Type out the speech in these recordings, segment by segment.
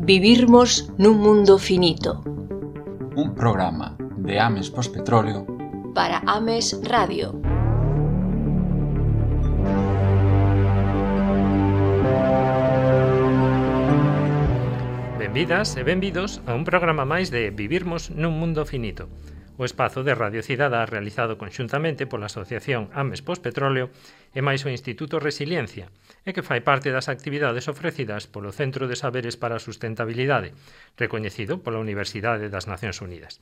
Vivirmos nun mundo finito. Un programa de Ames Pospetróleo para Ames Radio. Benvidas e benvidos a un programa máis de Vivirmos nun mundo finito, o espazo de Radio Cidadá realizado conxuntamente pola Asociación Ames Pospetróleo e máis o Instituto Resiliencia, e que fai parte das actividades ofrecidas polo Centro de Saberes para a Sustentabilidade, recoñecido pola Universidade das Nacións Unidas.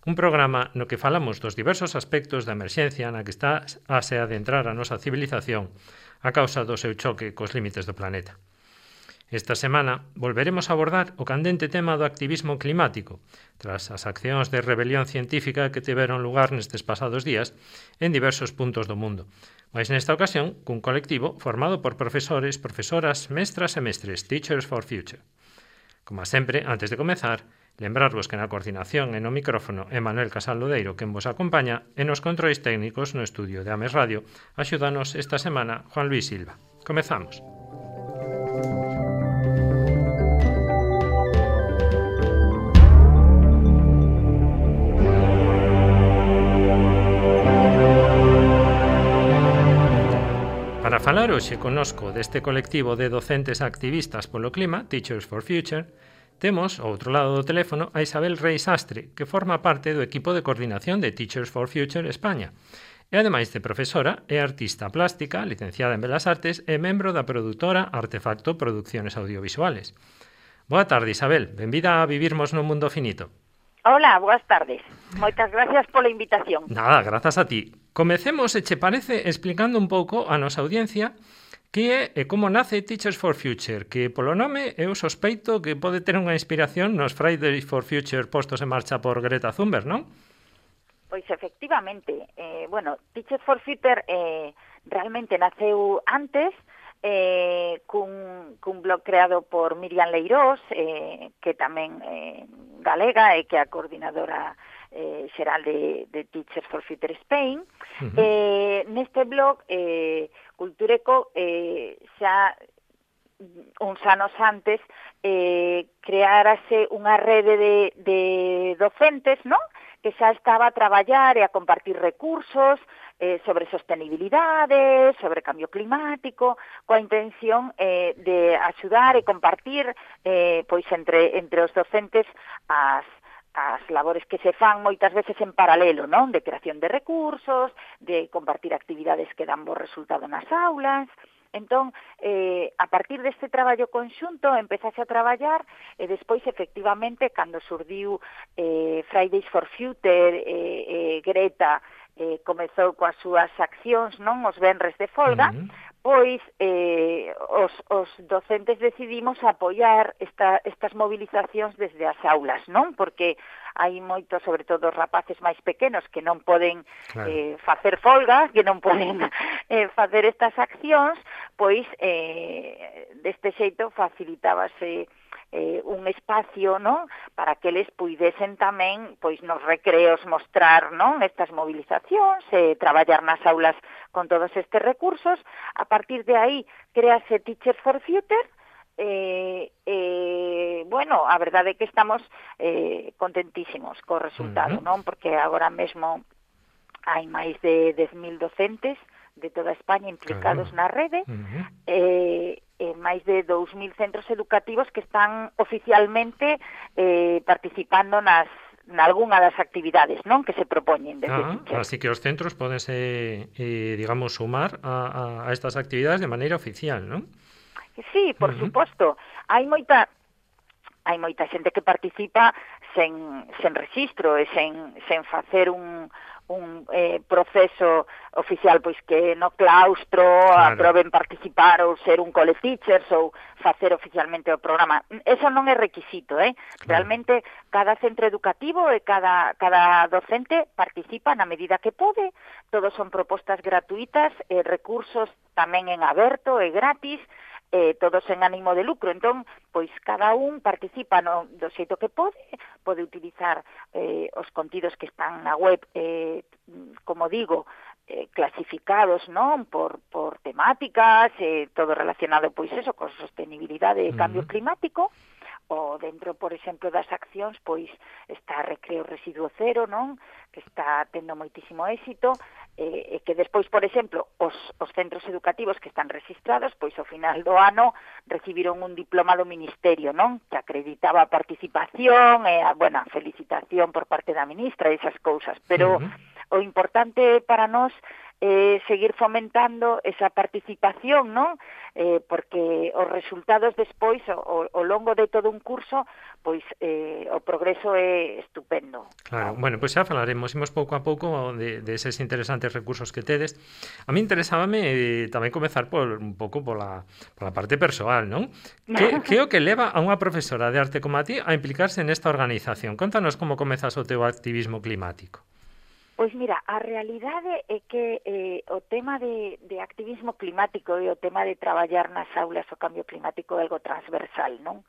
Un programa no que falamos dos diversos aspectos da emerxencia na que está a se adentrar a nosa civilización a causa do seu choque cos límites do planeta. Esta semana volveremos a abordar o candente tema do activismo climático, tras as accións de rebelión científica que tiveron lugar nestes pasados días en diversos puntos do mundo, mas nesta ocasión cun colectivo formado por profesores, profesoras, mestras e mestres, Teachers for Future. Como sempre, antes de comezar, lembrarvos que na coordinación e no micrófono é Manuel Casal Lodeiro quen vos acompaña e nos controis técnicos no estudio de Ames Radio axúdanos esta semana Juan Luis Silva. Comezamos. Para falar hoxe connosco deste colectivo de docentes activistas polo clima, Teachers for Future, temos, ao outro lado do teléfono, a Isabel Reis Astre, que forma parte do equipo de coordinación de Teachers for Future España. E, ademais de profesora, é artista plástica, licenciada en Belas Artes e membro da produtora Artefacto Producciones Audiovisuales. Boa tarde, Isabel. Benvida a Vivirmos nun mundo finito. Hola, boas tardes. Moitas gracias pola invitación. Nada, grazas a ti. Comecemos, se che parece, explicando un pouco a nosa audiencia que é e como nace Teachers for Future, que polo nome eu sospeito que pode ter unha inspiración nos Fridays for Future postos en marcha por Greta Thunberg, non? Pois efectivamente, Teachers for Future realmente naceu antes cun blog creado por Miriam Leirós, que tamén galega e que é a coordinadora xeral de Teachers for Future Spain. Neste blog, Cultureco xa uns anos antes creárase unha rede de docentes, non? Que xa estaba a traballar e a compartir recursos sobre sostenibilidade, sobre cambio climático, coa intención de axudar e compartir pois entre os docentes as labores que se fan moitas veces en paralelo, non? De creación de recursos, de compartir actividades que dan bo resultado nas aulas. Entón, a partir deste traballo conxunto, empezase a traballar e despois, efectivamente, cando surdiu Fridays for Future, Greta comezou coas súas accións, non, os venres de folga, pois os docentes decidimos apoiar estas movilizacións desde as aulas, non? Porque hai moitos, sobre todo os rapaces máis pequenos, que non poden facer folga, que non poden facer estas accións, pois deste xeito facilitábase un espacio, non, para que eles puidesen tamén, pois nos recreos mostrar, non, estas movilizacións, traballar nas aulas con todos estes recursos. A partir de aí créase Teachers for Future. A verdade é que estamos contentísimos co resultado, non, porque agora mesmo hai máis de 10.000 docentes de toda España implicados na rede, máis de 2.000 centros educativos que están oficialmente participando nalgunha das actividades, non, que se propoñen desde así que os centros podense, digamos, sumar a estas actividades de maneira oficial, non? Sí, por suposto. Hai moita xente que participa sen rexistro e sen facer un proceso oficial, pois que no claustro aproben participar ou ser un cole-teachers ou facer oficialmente o programa. Eso non é requisito, Realmente cada centro educativo e cada docente participa na medida que pode, todos son propostas gratuitas, recursos tamén en aberto e gratis, todos en ánimo de lucro. Entón, pois cada un participa do xeito que pode utilizar os contidos que están na web, como digo, clasificados, non, por temáticas, todo relacionado, pois eso, con sostenibilidade e cambio climático. O dentro, por exemplo, das accións, pois está Recreo Residuo Cero, non? Que está tendo moitísimo éxito, e que despois, por exemplo, os centros educativos que están registrados, pois ao final do ano recibiron un diploma do Ministerio, non? Que acreditaba a participación e a felicitación por parte da ministra e esas cousas, pero o importante para nós seguir fomentando esa participación, non? Porque os resultados despois, ao longo de todo un curso, pois o progreso é estupendo. Claro, bueno, pois xa falaremos, imos pouco a pouco de eses interesantes recursos que tedes. A mí interesábame tamén comezar un pouco pola parte persoal, non? Que é o que leva a unha profesora de arte como a ti a implicarse nesta organización? Contanos como comezas o teu activismo climático. Pois mira, a realidade é que o tema de activismo climático e o tema de traballar nas aulas o cambio climático é algo transversal, non?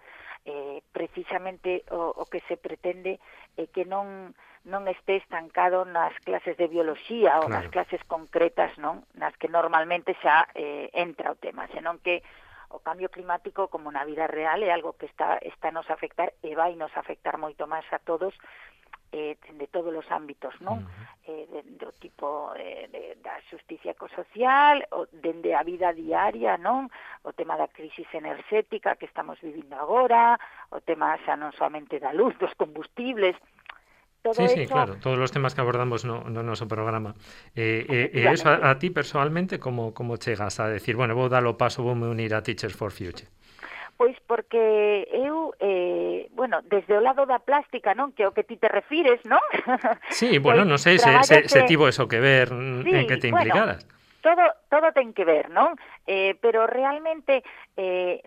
Precisamente o que se pretende é que non este estancado nas clases de bioloxía ou nas clases concretas, non? Nas que normalmente xa entra o tema, senón que o cambio climático, como na vida real, é algo que está nos a afectar e vai nos afectar moito máis a todos, de todos os ámbitos, non? Do tipo da xusticia ecosocial, dende a vida diaria, non? O tema da crisis enerxética que estamos vivindo agora, o tema xa non somente da luz, dos combustibles. Todo sí, claro, todos os temas que abordamos no noso programa. E eso a ti personalmente como chegas a decir, bueno, vou dar o paso, voume unir a Teachers for Future? Pois porque eu, desde o lado da plástica, non, que é o que ti te refires, non? Sí, bueno, non sei se tivo eso que ver en que te implicaras. Todo ten que ver, non? Pero realmente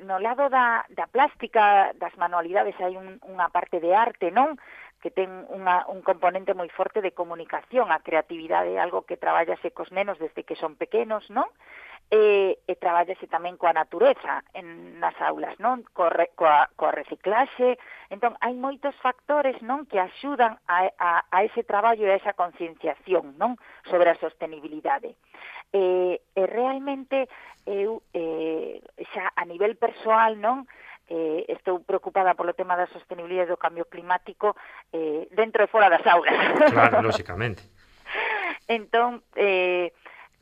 no lado da plástica, das manualidades, hai unha parte de arte, non? Que ten un componente moi forte de comunicación. A creatividade é algo que traballase cos nenos desde que son pequenos, non? E traballase tamén coa natureza nas aulas, non? Coa reciclaxe. Entón, hai moitos factores, non, que axudan a ese traballo e a esa concienciación, non, sobre a sostenibilidade. E realmente eu xa a nivel persoal, non, estou preocupada polo tema da sostenibilidade do cambio climático dentro e fora das aulas. Claro, lógicamente. Entón,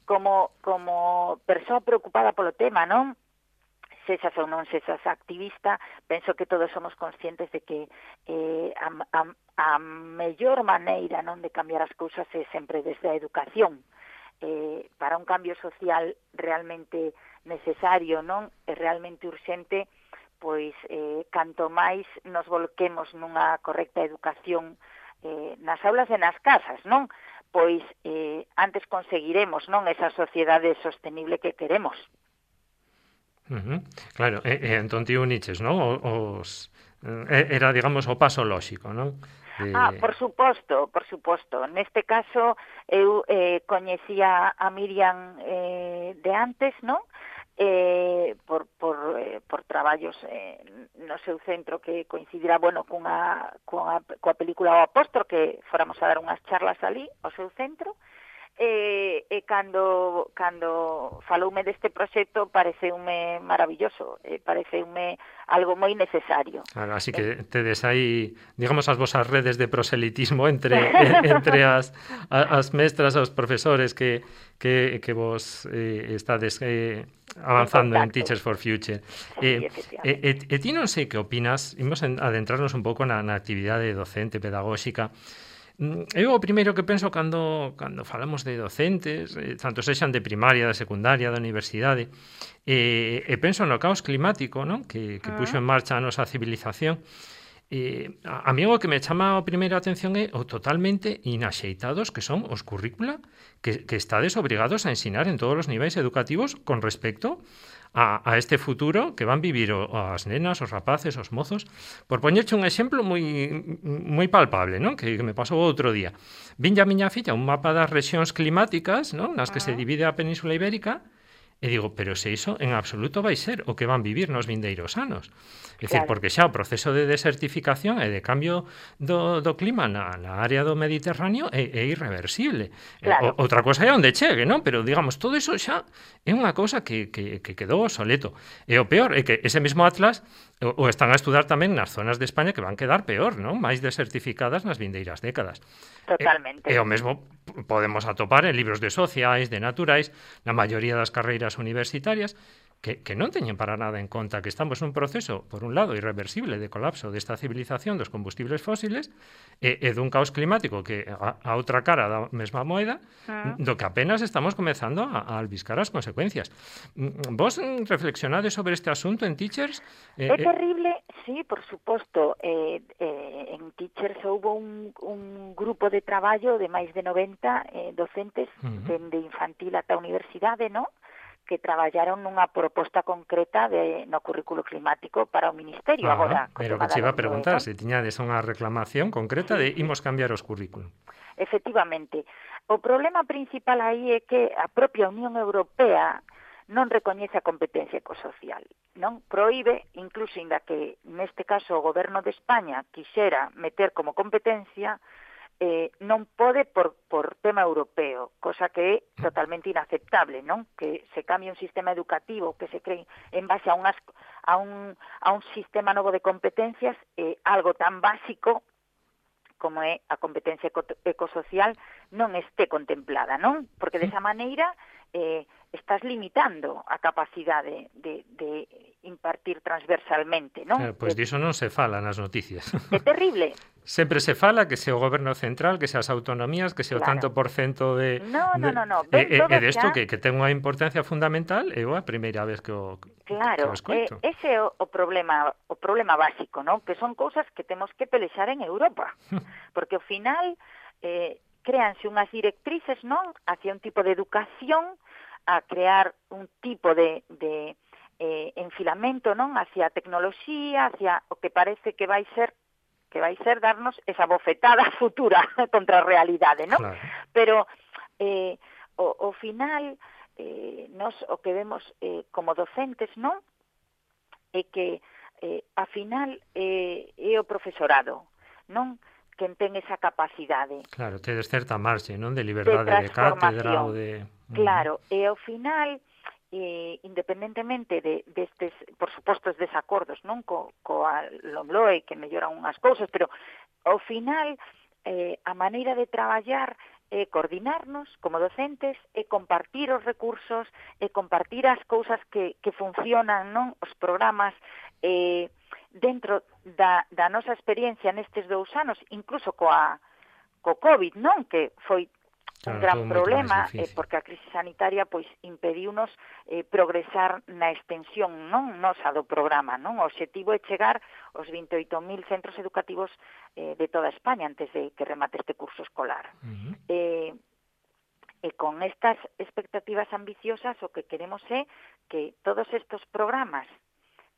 como persoa preocupada polo tema, non? Sexas ou non sexas activista, penso que todos somos conscientes de que a mellor maneira, non, de cambiar as cousas é sempre desde a educación. Para un cambio social realmente necesario, non? É realmente urxente, pois canto máis nos volquemos nunha correcta educación nas aulas e nas casas, non? Pois antes conseguiremos, non, esa sociedade sostenible que queremos. Claro, entón ti uniches, non? Era, digamos, o paso lóxico, non? Por suposto. Neste caso, eu coñecía a Miriam de antes, non? Por traballos no seu centro que coincidirá, coa película O Apóstol, que fóramos a dar unhas charlas ali ao seu centro, e cando faloume deste proxecto pareceume maravilloso, pareceume algo moi necesario. Claro, así que tedes aí, digamos, as vosas redes de proselitismo entre as mestras, os profesores que vos estades avanzando en Teachers for Future. E ti non sei que opinas, imos adentrarnos un pouco na actividade docente, pedagóxica. Eu o primeiro que penso cando falamos de docentes, tanto sexan de primaria, da secundaria, da universidade, e penso no caos climático, non? Que puxo en marcha a nosa civilización. A mí o que me chama a primeira atención é o totalmente inaxeitados que son os currícula que estades obrigados a ensinar en todos os niveis educativos con respecto a este futuro que van vivir as nenas, os rapaces, os mozos. Por poñerche un exemplo moi palpable, non? Que me pasou outro día. Vinlle a miña filla un mapa das rexións climáticas, non? Nas que se divide a Península Ibérica, E digo, pero se iso en absoluto vai ser o que van vivir nos vindeiros anos. É dicir, Claro. porque xa o proceso de desertificación e de cambio do clima na área do Mediterráneo é irreversible. Claro. Outra cosa é onde chegue, non? Pero, digamos, todo iso xa é unha cousa que quedou obsoleto. E o peor é que ese mesmo atlas o están a estudar tamén nas zonas de España que van quedar peor, non? Máis desertificadas nas vindeiras décadas. Totalmente. E o mesmo podemos atopar en libros de sociais, de naturais, na maioría das carreiras universitarias, que non teñen para nada en conta que estamos nun proceso, por un lado, irreversible de colapso desta civilización dos combustibles fósiles e dun caos climático que a outra cara da mesma moeda, do que apenas estamos comezando a albiscar as consecuencias. Vos reflexionades sobre este asunto en Teachers? É terrible, sí, por suposto. En Teachers houve un grupo de traballo de máis de 90 docentes dende infantil ata a universidade, non? Que traballaron nunha proposta concreta no currículo climático para o Ministerio agora. Pero que che iba a preguntar, se tiñades unha reclamación concreta de imos cambiar os currículum. Efectivamente. O problema principal aí é que a propia Unión Europea non recoñece a competencia ecosocial, non? Proíbe, incluso inda que neste caso o Goberno de España quixera meter como competencia, non pode por tema europeo, cosa que é totalmente inaceptable, non? Que se cambie un sistema educativo que se cree en base a un sistema novo de competencias, algo tan básico como é a competencia ecosocial non este contemplada, non? Porque desa maneira estás limitando a capacidade de impartir transversalmente, non? Pois diso non se fala nas noticias. É terrible. Sempre se fala que se o goberno central, que se as autonomías, que se o tanto por cento de... No. E desto que ten unha importancia fundamental, é a primeira vez que o escoito. Ese é o problema básico, non? Que son cousas que temos que pelexar en Europa. Porque ao final créanse unhas directrices, non? Hacia un tipo de educación, a crear un tipo de enfilamento, non? Hacia a tecnoloxía, hacia o que parece que vai ser darnos esa bofetada futura contra a realidade, non? Claro. Pero ao final nos o que vemos como docentes, non? É que a final é o profesorado, non? Quen ten esa capacidade. Claro, tedes certa marxe, non? De liberdade de cátedra ou de... Claro, e ao final independentemente destes, por suposto, os desacordos, non? Coa LOMLOE, que melloran unhas cousas, pero ao final a maneira de traballar é coordinarnos como docentes, é compartir os recursos, é compartir as cousas que funcionan, non? Os programas dentro da nosa experiencia nestes 2 anos, incluso co COVID, non? Que foi un gran problema, porque a crise sanitaria pois impediunos progresar na extensión, non nosa do programa, non? O obxectivo é chegar aos 28.000 centros educativos de toda España antes de que remate este curso escolar. E con estas expectativas ambiciosas o que queremos é que todos estes programas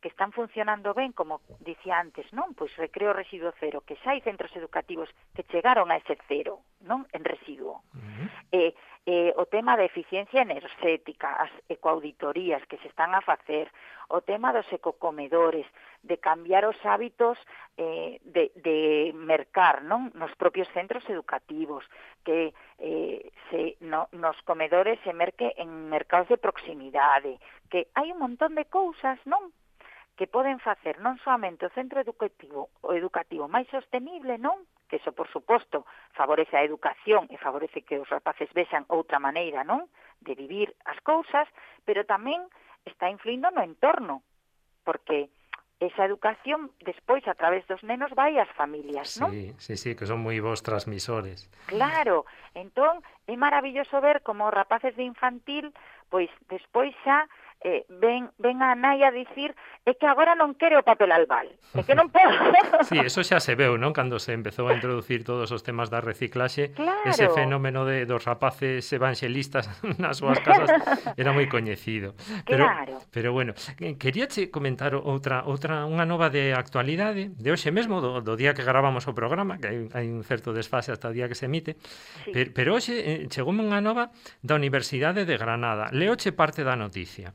que están funcionando ben, como dicía antes, non? Pois Recreo Residuo Cero, que xa hai centros educativos que chegaron a ese cero, non? En residuo. O tema da eficiencia enerxética, as ecoauditorías que se están a facer, o tema dos ecocomedores, de cambiar os hábitos de mercar, non? Nos propios centros educativos, que nos comedores se merque en mercados de proximidade, que hai un montón de cousas, non? Que poden facer non soamente o centro educativo máis sostenible, non? Que iso, por suposto, favorece a educación e favorece que os rapaces vexan outra maneira, non? De vivir as cousas, pero tamén está influindo no entorno, porque esa educación despois a través dos nenos vai ás familias, non? Sí, que son moi bons transmisores. Claro, entón é maravilloso ver como os rapaces de infantil, pois despois xa ven a nai a dicir é que agora non quere o papel albal, é que non podo. Sí, eso xa se veu, non? Cando se empezou a introducir todos os temas da reciclaxe, Claro. ese fenómeno dos rapaces evanxelistas nas súas casas era moi coñecido. Claro. Pero bueno, queríache comentar unha nova de actualidade, de hoxe mesmo, do día que gravamos o programa, que hai un certo desfase hasta o día que se emite, Sí. pero hoxe chegoume unha nova da Universidade de Granada. Leoche parte da noticia.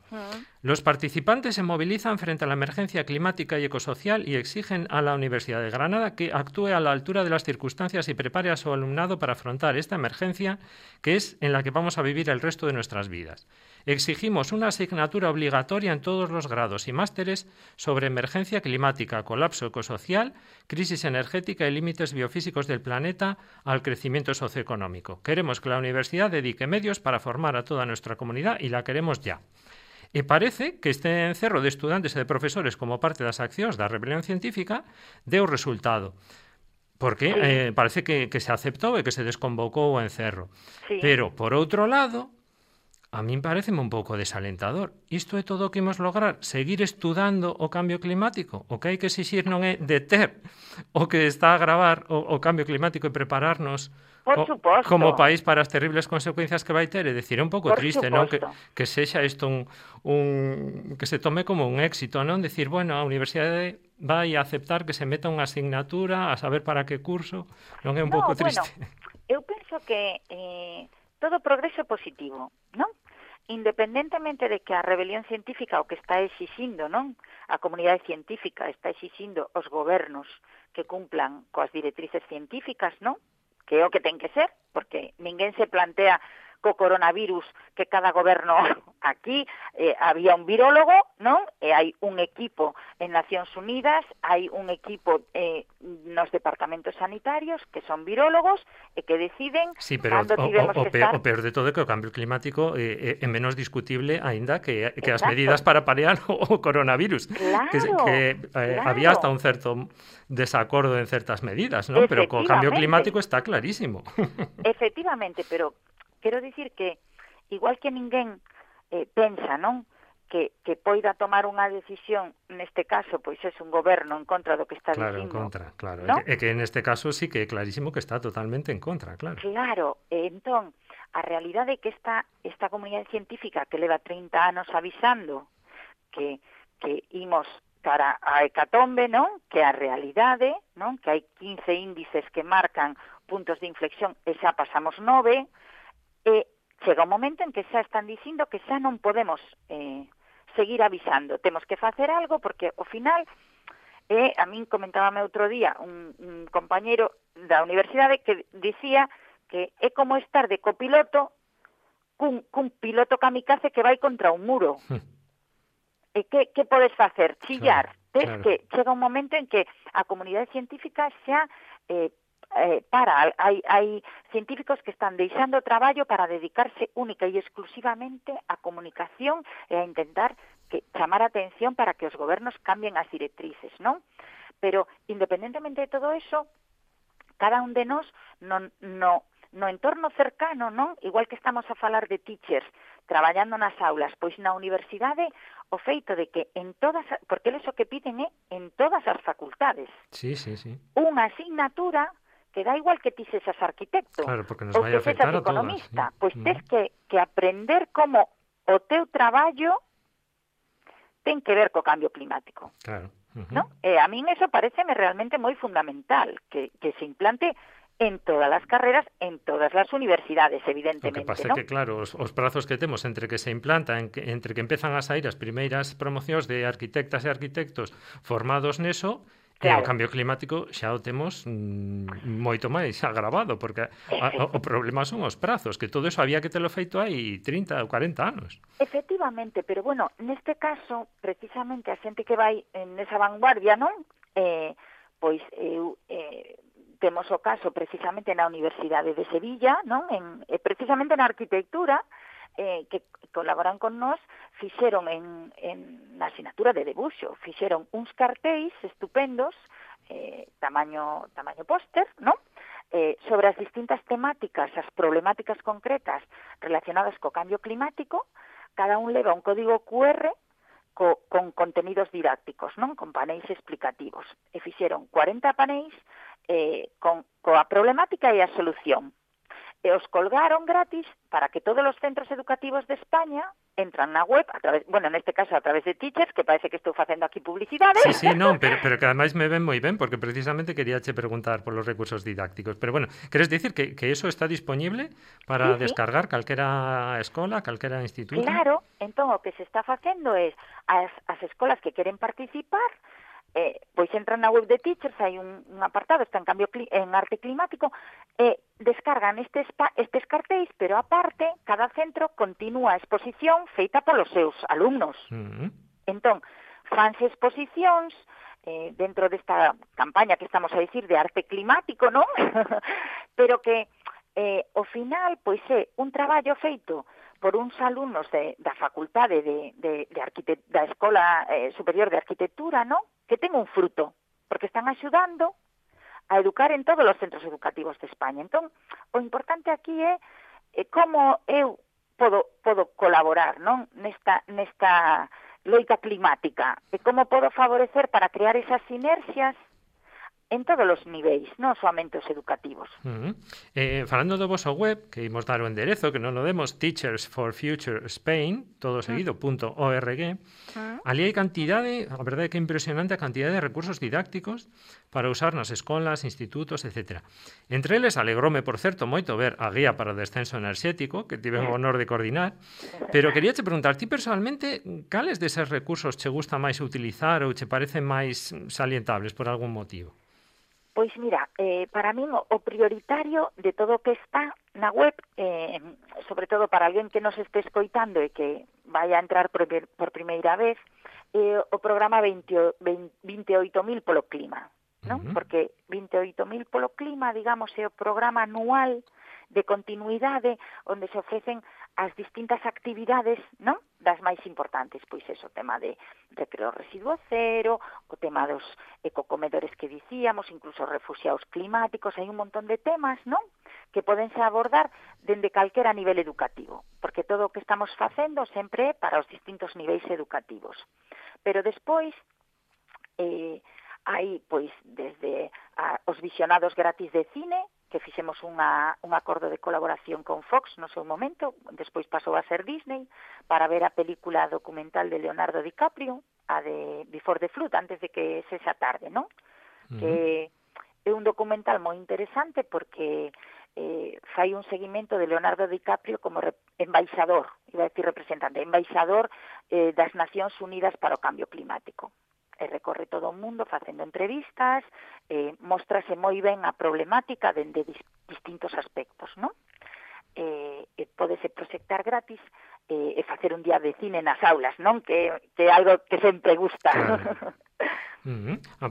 Los participantes se movilizan frente a la emergencia climática y ecosocial y exigen a la Universidad de Granada que actúe a la altura de las circunstancias y prepare a su alumnado para afrontar esta emergencia que es en la que vamos a vivir el resto de nuestras vidas. Exigimos una asignatura obligatoria en todos los grados y másteres sobre emergencia climática, colapso ecosocial, crisis energética y límites biofísicos del planeta al crecimiento socioeconómico. Queremos que la universidad dedique medios para formar a toda nuestra comunidad y la queremos ya. E parece que este encerro de estudantes e de profesores como parte das accións da rebelión científica deu resultado. Porque parece que se aceptou e que se desconvocou o encerro. Sí. Pero, por outro lado, a min pareceme un pouco desalentador. Isto é todo o que imos lograr? Seguir estudando o cambio climático? O que hai que exixir non é deter o que está a agravar o cambio climático e prepararnos Por suposto. como país para as terribles consecuencias que vai ter. É dicir, é un pouco Por triste, suposto. non? Que sexa isto que se tome como un éxito, non? Decir, bueno, a universidade vai a aceptar que se meta unha asignatura a saber para que curso, non é un pouco triste? Bueno, eu penso que todo progreso é positivo, non? Independentemente de que a rebelión científica o que está exixindo, non? A comunidade científica está exixindo os gobernos que cumplan coas directrices científicas, non? Que é o que ten que ser, porque ninguén se plantea co coronavirus que cada goberno aquí había un virólogo, non? E hai un equipo en Nacións Unidas, hai un equipo nos departamentos sanitarios que son virólogos e que deciden sí, pero o peor de todo é que o cambio climático é menos discutible aínda que as Exacto. medidas para paliar o coronavirus. Claro, claro. Había hasta un certo desacordo en certas medidas, non? Pero co cambio climático está clarísimo. Efectivamente, pero quero dicir que igual que ninguén pensa, non? Que poida tomar unha decisión, neste caso, pois é un goberno en contra do que está Claro, dicindo. en contra, claro. ¿No? É que neste caso sí que é clarísimo que está totalmente en contra, claro. Claro, entón, a realidade é que esta comunidade científica que leva 30 anos avisando que imos cara a hecatombe, non? Que a realidade, non? Que hai 15 índices que marcan puntos de inflexión e xa pasamos 9, chega un momento en que xa están dicindo que xa non podemos seguir avisando. Temos que facer algo porque, ao final, a min comentábame outro día un compañeiro da universidade que dicía que é como estar de copiloto cun piloto kamikaze que vai contra un muro. E que podes facer? Chillar. Claro. Que chega un momento en que a comunidade científica xa hai científicos que están deixando o traballo para dedicarse única e exclusivamente á comunicación e a intentar chamar a atención para que os gobernos cambien as directrices, non? Pero, independentemente de todo eso, cada un de nós no entorno cercano, non? Igual que estamos a falar de teachers traballando nas aulas, pois na universidade o feito de que porque eles o que piden é en todas as facultades. Sí. Unha asignatura que dá igual que ti sexas arquitecto, claro, porque nos ou vai que sexas afectar a todas. economista, pois tes que aprender como o teu traballo ten que ver co cambio climático. Claro. ¿No? A min eso pareceme realmente moi fundamental, que se implante en todas as carreras, en todas as universidades, evidentemente. O que pasa ¿no? é que, claro, os prazos que temos entre que se implanta, entre que empezan a sair as primeiras promocións de arquitectas e arquitectos formados neso, claro. O cambio climático xa o temos moito máis agravado, porque o problema son os prazos, que todo eso había que telo feito hai 30 ou 40 anos. Efectivamente, pero bueno, neste caso, precisamente a xente que vai nesa vanguardia, non? Pois temos o caso precisamente na Universidade de Sevilla, non? Precisamente na arquitectura, que colaboran con nós, fixeron na asignatura de debuxo, fixeron uns cartéis estupendos, tamaño póster, non? Sobre as distintas temáticas, as problemáticas concretas relacionadas co cambio climático, cada un leva un código QR con contenidos didácticos, non? Con paneis explicativos. E fixeron 40 paneis coa problemática e a solución. E os colgaron gratis para que todos os centros educativos de España entran na web, neste caso a través de Teachers, que parece que estou facendo aquí publicidade. Sí, non, pero que ademais me ven moi ben, porque precisamente quería che preguntar polos recursos didácticos. Pero bueno, queres dicir que eso está disponible para descargar calquera escola, calquera instituto? Claro, entón o que se está facendo é as escolas que queren participar, pois entran na web de Teachers, hai un apartado, está en arte climático, descargan estes cartéis, pero aparte, cada centro continúa a exposición feita polos seus alumnos. Entón, fanse exposicións dentro desta campaña que estamos a dicir de arte climático, non? Pero que, ao final, pois é un traballo feito por uns alumnos da facultade da Escola Superior de Arquitectura, non? Que ten un fruto, porque están axudando a educar en todos os centros educativos de España. Entón, o importante aquí é como eu podo colaborar, non? Nesta loita climática, e como podo favorecer para crear esas sinerxias en todos os niveis, non soamente os educativos. Falando do voso web, que imos dar o enderezo, que non o demos, Teachers for Future Spain, todo seguido, .org, ali hai cantidade, a verdade é que é impresionante a cantidade de recursos didácticos para usar nas escolas, institutos, etc. Entre eles, alegróme, por certo, moito ver a guía para o descenso enerxético, que tive o honor de coordinar, pero quería che preguntar, ti personalmente, cales deses recursos che gusta máis utilizar ou che parecen máis salientables por algún motivo? Pois mira, para min o prioritario de todo o que está na web, sobre todo para alguén que nos este escoitando e que vai a entrar por primeira vez, o programa 28.000 polo clima, non? Porque 28.000 polo clima, digamos, é o programa anual de continuidade onde se ofrecen as distintas actividades, non? Das máis importantes, pois eso, o tema de recreo residuo cero, o tema dos ecocomedores que dicíamos, incluso refuxiados climáticos, hai un montón de temas, non? Que podense abordar dende calquera nivel educativo, porque todo o que estamos facendo sempre é para os distintos niveis educativos. Pero despois hai, pois, desde os visionados gratis de cine, que fixemos un acordo de colaboración con Fox no seu momento, despois pasou a ser Disney, para ver a película documental de Leonardo DiCaprio, a de Before the Flood, antes de que sexa tarde, non? Que é un documental moi interesante porque fai un seguimento de Leonardo DiCaprio como embaixador, iba a decir representante, embaixador das Nacións Unidas para o Cambio Climático. E recorre todo o mundo facendo entrevistas, mostrase moi ben a problemática dende distintos aspectos, non? Pódese proxectar gratis e facer un día de cine nas aulas, non? Que é algo que sempre gusta. Claro.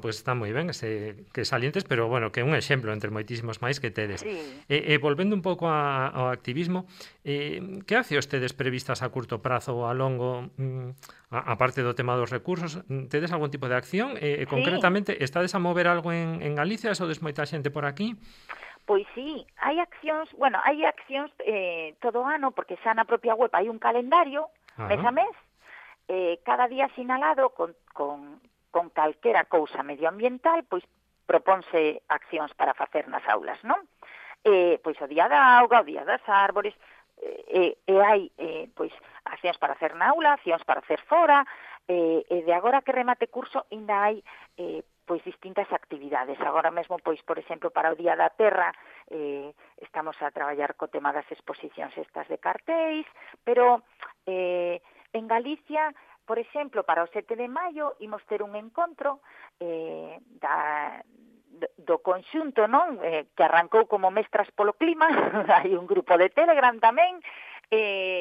Pois está moi ben que salientes, pero bueno, que é un exemplo entre moitísimos máis que tedes. Sí. Volvendo un pouco ao activismo, que accións tedes previstas a curto prazo ou a longo, a parte do tema dos recursos, tedes algún tipo de acción? Concretamente, estades a mover algo en Galicia, sodes moita xente por aquí? Pois sí, hai accións todo o ano, porque xa na propia web hai un calendario, mes a mes, cada día sinalado con calquera cousa medioambiental, pois propónse accións para facer nas aulas, non? Pois o día da auga, o día das árbores, e hai pois accións para hacer na aula, accións para hacer fora, e de agora que remate curso ainda hai pois distintas actividades. Agora mesmo, pois, por exemplo, para o Día da Terra estamos a traballar co tema das exposicións estas de cartéis, pero en Galicia, por exemplo, para o 7 de maio imos ter un encontro do conxunto, non? Que arrancou como Mestras polo Clima, hai un grupo de Telegram tamén.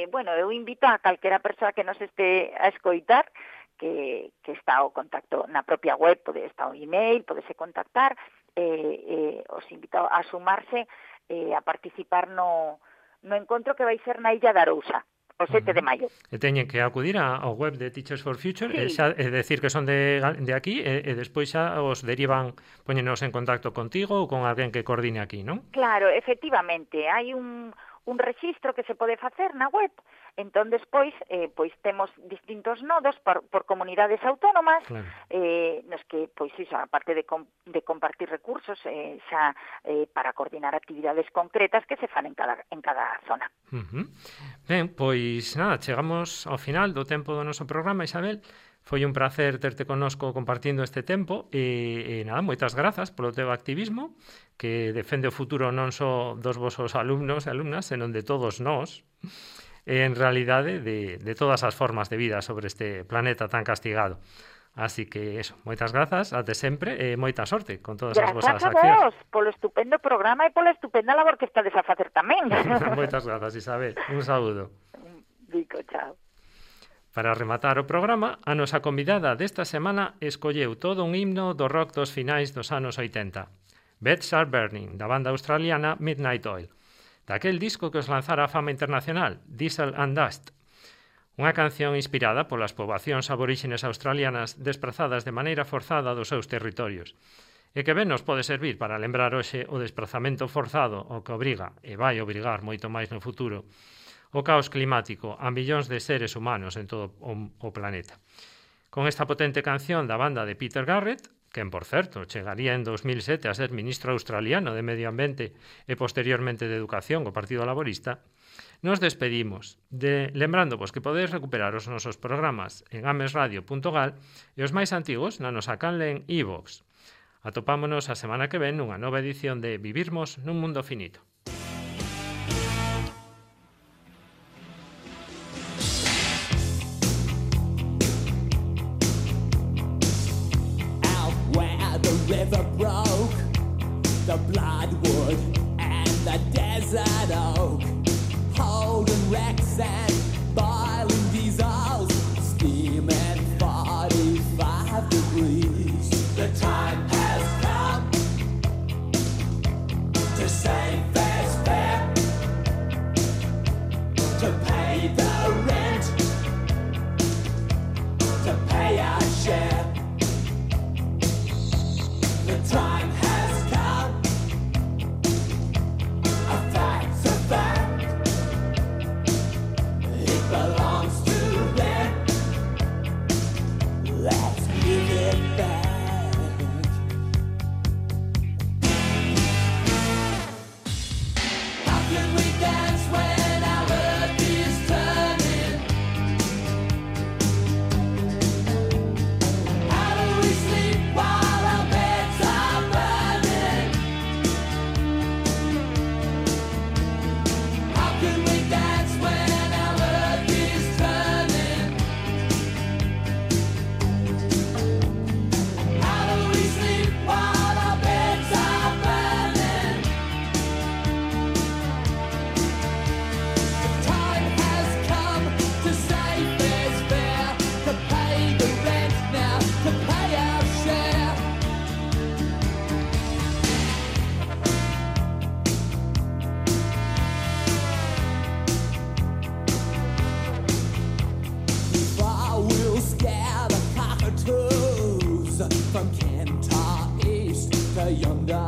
Bueno, eu invito a calquera persoa que nos este a escoitar que está o contacto na propia web, está o email, podese contactar, os invito a sumarse a participar no encontro que vai ser na Illa de Arousa, o 7 de maio. E teñen que acudir ao web de Teachers for Future, sí. É decir que son de aquí, e despois xa os derivan, poñenos en contacto contigo ou con alguén que coordine aquí, non? Claro, efectivamente, hai un rexistro que se pode facer na web, Entón, despois, pois temos distintos nodos por comunidades autónomas, Claro. nos que, pois, iso, aparte de compartir recursos, xa para coordinar actividades concretas que se fan en cada zona. Ben, pois nada, chegamos ao final do tempo do noso programa, Isabel. Foi un placer terte connosco compartindo este tempo e nada, moitas grazas polo teu activismo que defende o futuro non só dos vosos alumnos e alumnas, senón de todos nós, en realidade de todas as formas de vida sobre este planeta tan castigado. Así que eso, moitas grazas, até sempre e moita sorte con todas as vosas accións. Grazas a vos polo estupendo programa e pola estupenda labor que estades a facer tamén. Moitas grazas, Isabel. Un saúdo. Dico, chao. Para rematar o programa, a nosa convidada desta semana escolleu todo un himno do rock dos finais dos anos 80. Beds Are Burning, da banda australiana Midnight Oil. Daquel disco que os lanzara a fama internacional, Diesel and Dust. Unha canción inspirada polas poboacións aboríxenes australianas desprazadas de maneira forzada dos seus territorios. E que ben nos pode servir para lembrar hoxe o desprazamento forzado o que obriga, e vai obrigar moito máis no futuro, o caos climático a millóns de seres humanos en todo o planeta. Con esta potente canción da banda de Peter Garrett, quen, por certo, chegaría en 2007 a ser ministro australiano de Medio Ambiente e posteriormente de Educación co Partido Laborista, nos despedimos, lembrándovos que podedes recuperar os nosos programas en amesradio.gal e os máis antigos na nosa canle en iVoox. Atopámonos a semana que ven nunha nova edición de Vivirmos nun Mundo Finito. The river broke, the bloodwood and the desert oak, holding wrecks and boiling diesels, steaming 45 degrees. The time has come to save fair's fair, to pay the rent, to pay our share. The time has come, a fact's a fact, it belongs to them, let's give it back. How can we dance when our earth is turning? How do we sleep while our beds are burning? How can we dance when our earth is turning? How do we sleep while our beds are burning? The time has come to save fair's fair, to pay the rent now, to pay our share. Far we'll scare the cockatoos from Kentar East to yonder